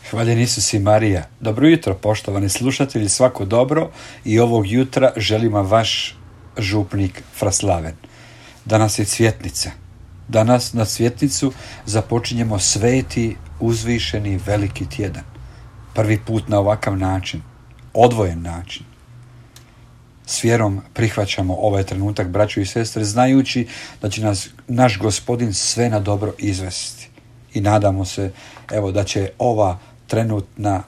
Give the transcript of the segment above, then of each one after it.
Hvaljen Isus i Marija. Dobro jutro, poštovani slušatelji, svako dobro, i ovog jutra želim vam vaš župnik Fraslaven. Danas je Cvjetnica. Danas na Cvjetnicu započinjemo sveti, uzvišeni, veliki tjedan. Prvi put na ovakav način, odvojen način. S vjerom prihvaćamo ovaj trenutak, braćo i sestre, znajući da će nas naš Gospodin sve na dobro izvesti. I nadamo se, da će ova trenutna,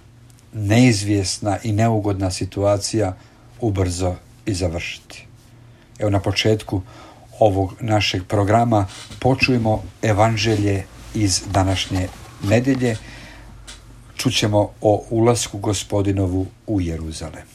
neizvjesna i neugodna situacija ubrzo i završiti. Na početku ovog našeg programa počujemo evanđelje iz današnje nedjelje. Čućemo o ulasku Gospodinovu u Jeruzalem.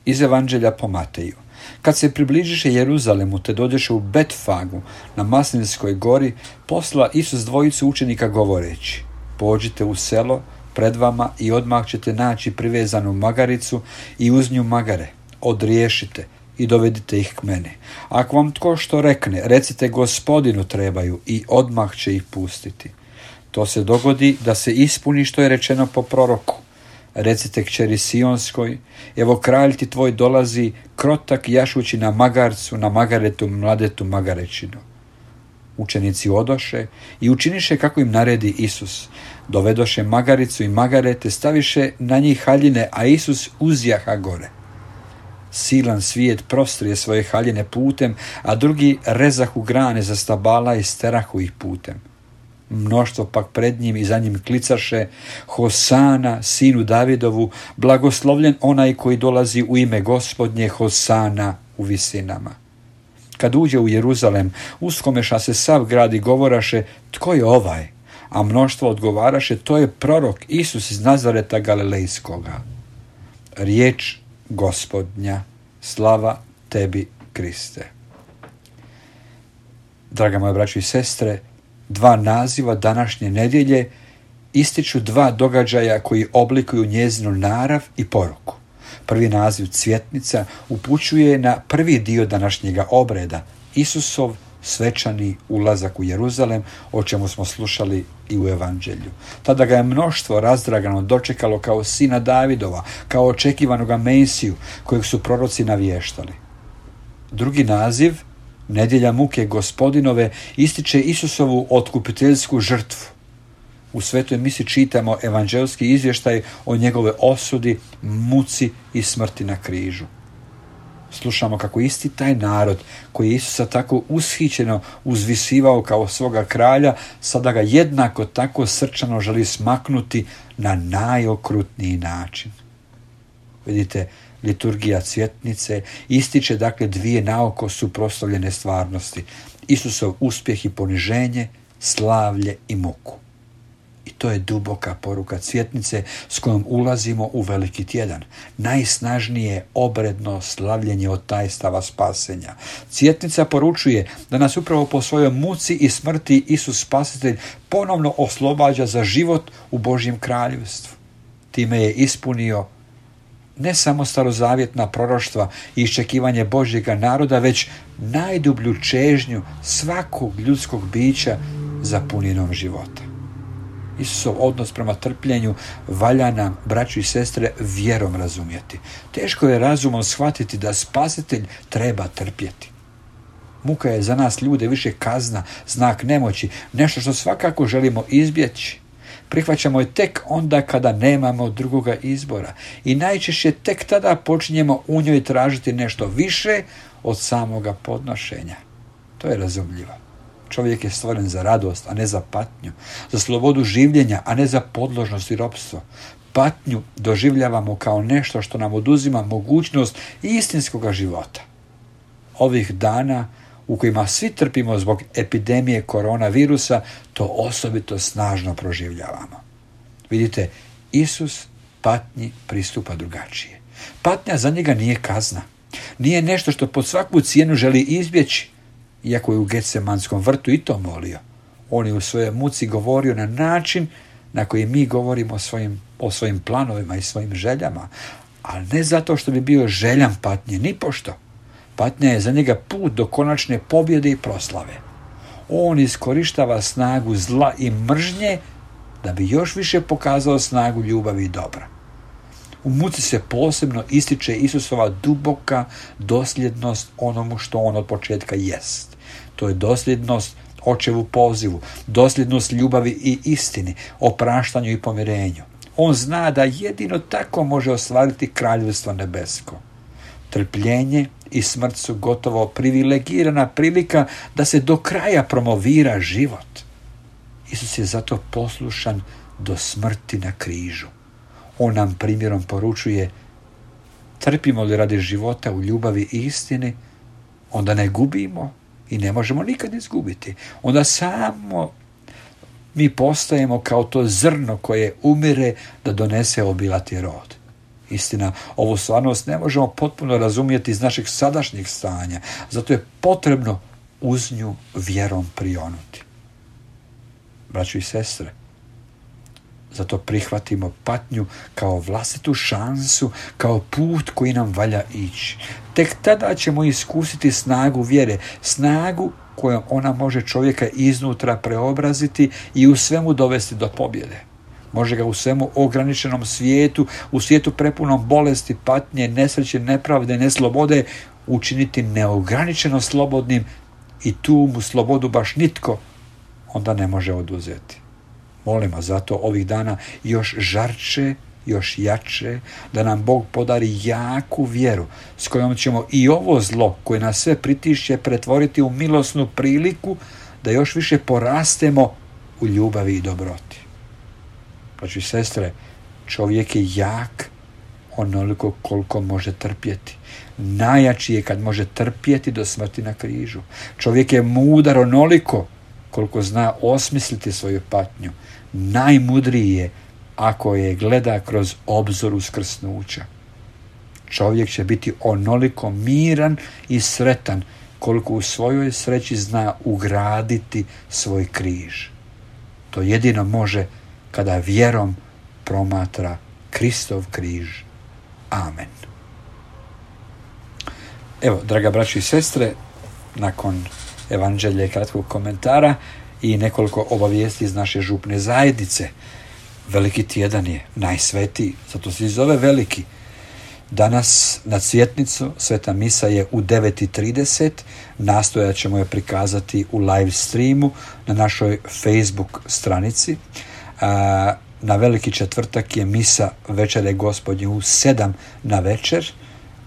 Iz evanđelja po Mateju. Kad se približiše Jeruzalemu te dođeše u Betfagu na Maslinskoj gori, posla Isus dvojicu učenika govoreći: pođite u selo pred vama i odmah ćete naći privezanu magaricu i uz nju magare. Odriješite i dovedite ih k meni. Ako vam tko što rekne, recite Gospodinu trebaju i odmah će ih pustiti. To se dogodi da se ispuni što je rečeno po proroku. Recite kćeri Sionskoj, evo kralj ti tvoj dolazi, krotak jašući na magarcu, na magaretu mladetu magarećinu. Učenici odoše i učiniše kako im naredi Isus. Dovedoše magaricu i magarete, staviše na njih haljine, a Isus uzjaha gore. Silan svijet prostrije svoje haljine putem, a drugi rezahu grane za stabala i sterahu ih putem. Mnoštvo pak pred njim i za njim klicaše: Hosana, sinu Davidovu, blagoslovljen onaj koji dolazi u ime Gospodnje, Hosana u visinama. Kad uđe u Jeruzalem, uskomeša se sav grad i govoraše: tko je ovaj? A mnoštvo odgovaraše: to je prorok Isus iz Nazareta Galilejskoga. Riječ Gospodnja, slava tebi, Kriste. Draga moja braćo i sestre, dva naziva današnje nedjelje ističu dva događaja koji oblikuju njezinu narav i poruku. Prvi naziv Cvjetnica upućuje na prvi dio današnjega obreda, Isusov svečani ulazak u Jeruzalem, o čemu smo slušali i u evanđelju. Tada ga je mnoštvo razdragano dočekalo kao sina Davidova, kao očekivanoga Mesiju kojeg su proroci navještali. Drugi naziv, nedjelja muke Gospodinove, ističe Isusovu otkupiteljsku žrtvu. U svetoj misi čitamo evanđelski izvještaj o njegove osudi, muci i smrti na križu. Slušamo kako isti taj narod koji je Isusa tako ushićeno uzvisivao kao svoga kralja, sada ga jednako tako srčano želi smaknuti na najokrutniji način. Vidite, liturgija Cvjetnice ističe dvije naoko suprotstavljene stvarnosti: Isusov uspjeh i poniženje, slavlje i muku. I to je duboka poruka Cvjetnice s kojom ulazimo u veliki tjedan. Najsnažnije obredno slavljenje od tajstava spasenja. Cvjetnica poručuje da nas upravo po svojoj muci i smrti Isus Spasitelj ponovno oslobađa za život u Božjem kraljevstvu. Time je ispunio ne samo starozavjetna proroštva i iščekivanje Božjega naroda, već najdublju čežnju svakog ljudskog bića za puninom života. Isusov odnos prema trpljenju valja nam, braćo i sestre, vjerom razumjeti. Teško je razumom shvatiti da Spasitelj treba trpjeti. Muka je za nas ljude više kazna, znak nemoći, nešto što svakako želimo izbjeći. Prihvaćamo je tek onda kada nemamo drugoga izbora i najčešće tek tada počinjemo u njoj tražiti nešto više od samoga podnošenja. To je razumljivo. Čovjek je stvoren za radost, a ne za patnju, za slobodu življenja, a ne za podložnost i ropstvo. Patnju doživljavamo kao nešto što nam oduzima mogućnost istinskoga života. Ovih dana u kojima svi trpimo zbog epidemije koronavirusa, to osobito snažno proživljavamo. Vidite, Isus patnji pristupa drugačije. Patnja za njega nije kazna. Nije nešto što pod svaku cijenu želi izbjeći, iako je u Getsemanskom vrtu i to molio. On je u svojoj muci govorio na način na koji mi govorimo o svojim planovima i svojim željama, ali ne zato što bi bio željan patnje, nipošto. Patnja je za njega put do konačne pobjede i proslave. On iskorištava snagu zla i mržnje da bi još više pokazao snagu ljubavi i dobra. U muci se posebno ističe Isusova duboka dosljednost onomu što on od početka jest. To je dosljednost Očevu pozivu, dosljednost ljubavi i istini, opraštanju i pomirenju. On zna da jedino tako može ostvariti kraljevstvo nebesko. Trpljenje i smrt su gotovo privilegirana prilika da se do kraja promovira život. Isus je zato poslušan do smrti na križu. On nam primjerom poručuje: trpimo li radi života u ljubavi i istini, onda ne gubimo i ne možemo nikad izgubiti. Onda samo mi postajemo kao to zrno koje umire da donese obilati rod. Istina, ovu stvarnost ne možemo potpuno razumjeti iz našeg sadašnjeg stanja, zato je potrebno uz nju vjerom prionuti. Braćo i sestre, zato prihvatimo patnju kao vlastitu šansu, kao put koji nam valja ići. Tek tada ćemo iskusiti snagu vjere, snagu kojom ona može čovjeka iznutra preobraziti i u svemu dovesti do pobjede. Može ga u svemu ograničenom svijetu, u svijetu prepunom bolesti, patnje, nesreće, nepravde, neslobode, učiniti neograničeno slobodnim i tu mu slobodu baš nitko onda ne može oduzeti. Molimo zato ovih dana još žarče, još jače, da nam Bog podari jaku vjeru s kojom ćemo i ovo zlo koje nas sve pritišće pretvoriti u milosnu priliku da još više porastemo u ljubavi i dobroti. Braćo i sestre, čovjek je jak onoliko koliko može trpjeti. Najjači je kad može trpjeti do smrti na križu. Čovjek je mudar onoliko koliko zna osmisliti svoju patnju. Najmudriji je ako je gleda kroz obzor uskrsnuća. Čovjek će biti onoliko miran i sretan koliko u svojoj sreći zna ugraditi svoj križ. To jedino može kada vjerom promatra Kristov križ. Amen. Evo, draga braćo i sestre, nakon evanđelja i kratkog komentara i nekoliko obavijesti iz naše župne zajednice. Veliki tjedan je, najsvetiji, zato se i zove veliki. Danas na Cvjetnicu sveta misa je u 9:30, nastojat ćemo je prikazati u live streamu na našoj Facebook stranici. Na Veliki četvrtak je misa Večere Gospodnje u 7 na večer,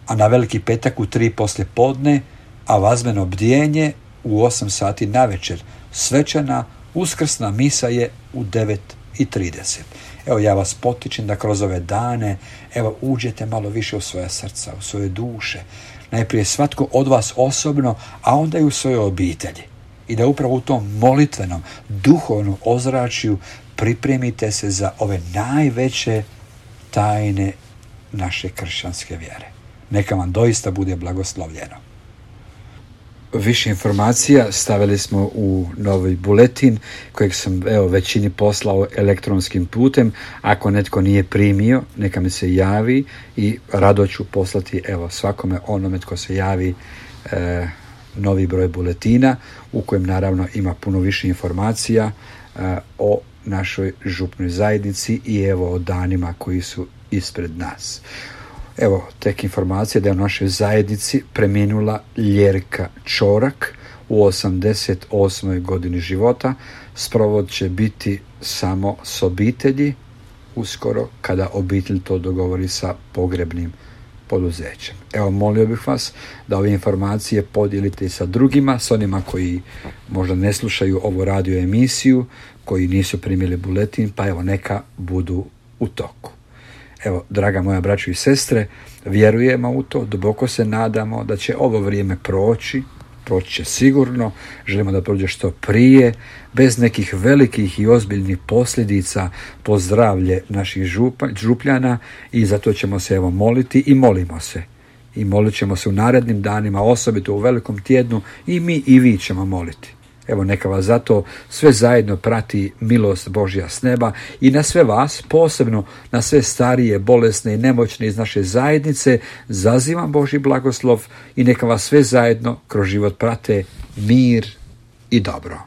a na Veliki petak u 3 poslije podne, a vazmeno bdjenje u 8 sati na večer. Svečana uskrsna misa je u 9:30. Evo, ja vas potičem da kroz ove dane uđete malo više u svoja srca, u svoje duše. Najprije svatko od vas osobno, a onda i u svojoj obitelji. I da upravo u tom molitvenom, duhovnom ozračju pripremite se za ove najveće tajne naše kršćanske vjere. Neka vam doista bude blagoslovljeno. Više informacija stavili smo u novi buletin kojeg sam većini poslao elektronskim putem. Ako netko nije primio, neka mi se javi i rado ću poslati svakome onome tko se javi novi broj buletina u kojem naravno ima puno više informacija o našoj župnoj zajednici i o danima koji su ispred nas. Tek informacija da je u našoj zajednici preminula Ljerka Čorak u 88. godini života. Sprovod će biti samo s obitelji uskoro kada obitelj to dogovori sa pogrebnim poduzećem. Molio bih vas da ove informacije podijelite sa drugima, s onima koji možda ne slušaju ovu radio emisiju, koji nisu primili buletin, pa neka budu u toku. Draga moja braćo i sestre, vjerujemo u to, duboko se nadamo da će ovo vrijeme proći će sigurno, želimo da prođe što prije, bez nekih velikih i ozbiljnih posljedica po zdravlje naših župljana i zato ćemo se moliti i molimo se. I molit ćemo se u narednim danima, osobito u velikom tjednu, i mi i vi ćemo moliti. Neka vas zato sve zajedno prati milost Božja s neba i na sve vas, posebno na sve starije, bolesne i nemoćne iz naše zajednice, zazivam Božji blagoslov i neka vas sve zajedno kroz život prate mir i dobro.